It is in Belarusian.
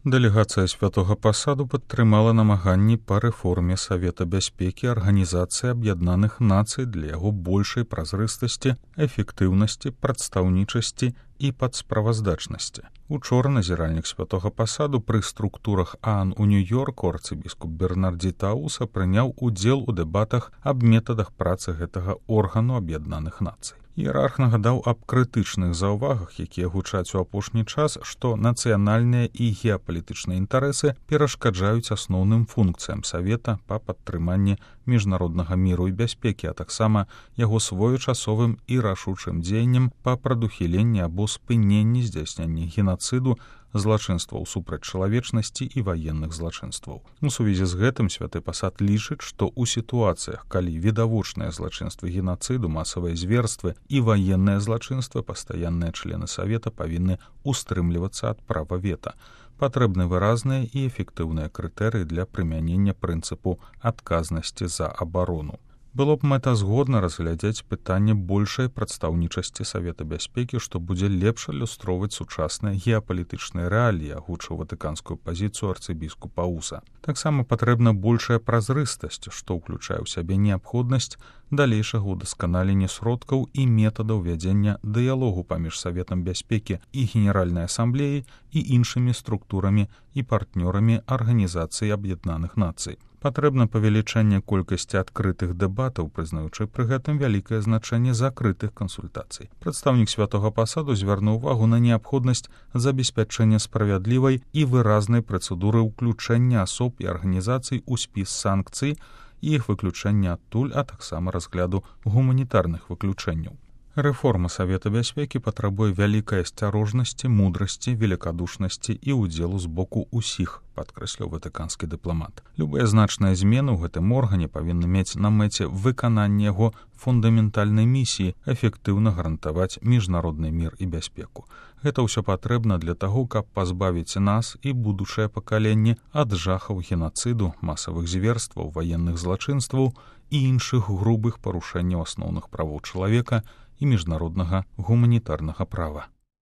Дэлегацыя святога пасаду падтрымала намаганні па рэформе Савета бяспекі Арганізацыі Аб'яднаных Нацый для яго большай празрыстасці, эфектыўнасці, прадстаўнічасці і падсправаздачнасці. Учора назіральнік святога пасаду пры структурах ААН у Нью-Йорку арцыбіскуп Бернардзі Тауса прыняў удзел у дэбатах аб метадах працы гэтага органу Аб'яднаных Нацый. Іерарх нагадаў аб крытычных заўвагах, якія гучаць у апошні час, што нацыянальныя і геапалітычныя інтарэсы перашкаджаюць асноўным функцыям Савета па падтрыманні міжнароднага міру і бяспекі, а таксама яго своечасовым і рашучым дзеяннем па прадухіленні або спыненні здзяйснення генацыду, злачынстваў супраць чалавечнасці і ваенных злачынстваў. У сувязі з гэтым святы пасад лічыць, што ў сітуацыях, калі відавочныя злачынствы генацыду, масавыя зверствы і ваенныя злачынствы, пастаянныя члены Савета павінны устрымлівацца ад права вета. Патрэбны выразныя і эфектыўныя крытэрыі для прымянення прынцыпу адказнасці за абарону. Было б мэтазгодна разглядзець пытанне большай прадстаўнічасці Савета бяспекі, што будзе лепш адлюстроўваць сучасныя геапалітычныя рэаліі, агучыў ватыканскую пазіцыю арцыбіскуп Ауса. Таксама патрэбна большая празрыстасць, што ўключае ў сябе неабходнасць далейшага ўдасканалення сродкаў і метадаў вядзення дыялогу паміж Саветам бяспекі і Генеральнай асамблеяй і іншымі структурамі і партнёрамі Арганізацыі Аб'яднаных Нацый. Патрэбна павелічэнне колькасці адкрытых дэбатаў, прызнаючы пры гэтым вялікае значэнне закрытых кансультацый. Прадстаўнік святога пасаду звярнуў увагу на неабходнасць забеспячэння справядлівай і выразнай працэдуры ўключэння асоб і арганізацый у спіс санкцый і іх выключэння адтуль, а таксама разгляду гуманітарных выключэнняў. Рэформа Савета бяспекі патрабуе вялікай асцярожнасці, мудрасці, велікадушнасці і ўдзелу з боку ўсіх, падкрэсліў ватыканскі дыпламат. Любыя значныя змены ў гэтым органе павінны мець на мэце выкананне яго фундаментальнай місіі эфектыўна гарантаваць міжнародны мір і бяспеку. Гэта ўсё патрэбна для таго, каб пазбавіць нас і будучае пакаленне ад жахаў генацыду, масавых зверстваў, ваенных злачынстваў і іншых грубых парушэнняў асноўных правоў чалавека і міжнароднага гуманітарнага права.